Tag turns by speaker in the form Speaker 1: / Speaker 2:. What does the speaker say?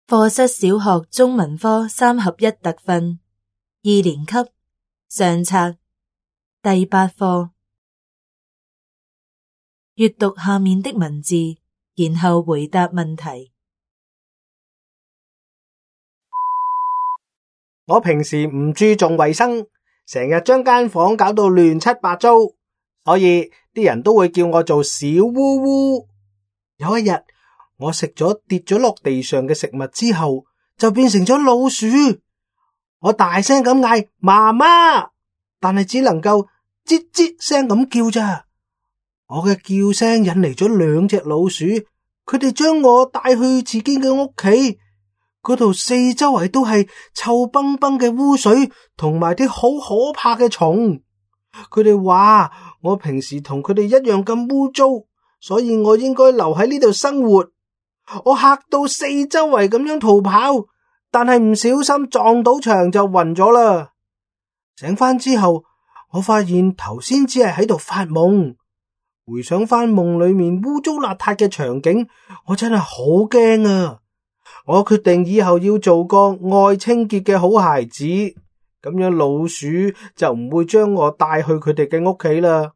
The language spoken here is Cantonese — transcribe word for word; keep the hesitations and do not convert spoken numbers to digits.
Speaker 1: 課室小學中文科三合一特訓二年級上冊第八課，閱讀下面的文字，然後回答問題。
Speaker 2: 我平時唔注重衛生，成日將間房搞到亂七八糟，所以啲人都會叫我做小烏烏。有一日，我食咗跌咗落地上嘅食物之後，就變成咗老鼠。我大聲咁嗌媽媽，但係只能夠吱吱聲咁叫咋。我嘅叫聲引嚟咗兩隻老鼠，佢哋將我帶去自己嘅屋企。嗰度四周圍都係臭崩崩嘅污水，同埋啲好可怕嘅蟲。佢哋話我平時同佢哋一樣咁污糟，所以我應該留喺呢度生活。我嚇到四周圍咁樣逃跑，但係唔小心撞到牆就暈咗啦。醒翻之後，我發現頭先只係喺度發夢。回想翻夢裏面污糟邋遢嘅場景，我真係好驚啊！我決定以後要做個愛清潔嘅好孩子，咁樣老鼠就唔會將我帶去佢哋嘅屋企啦。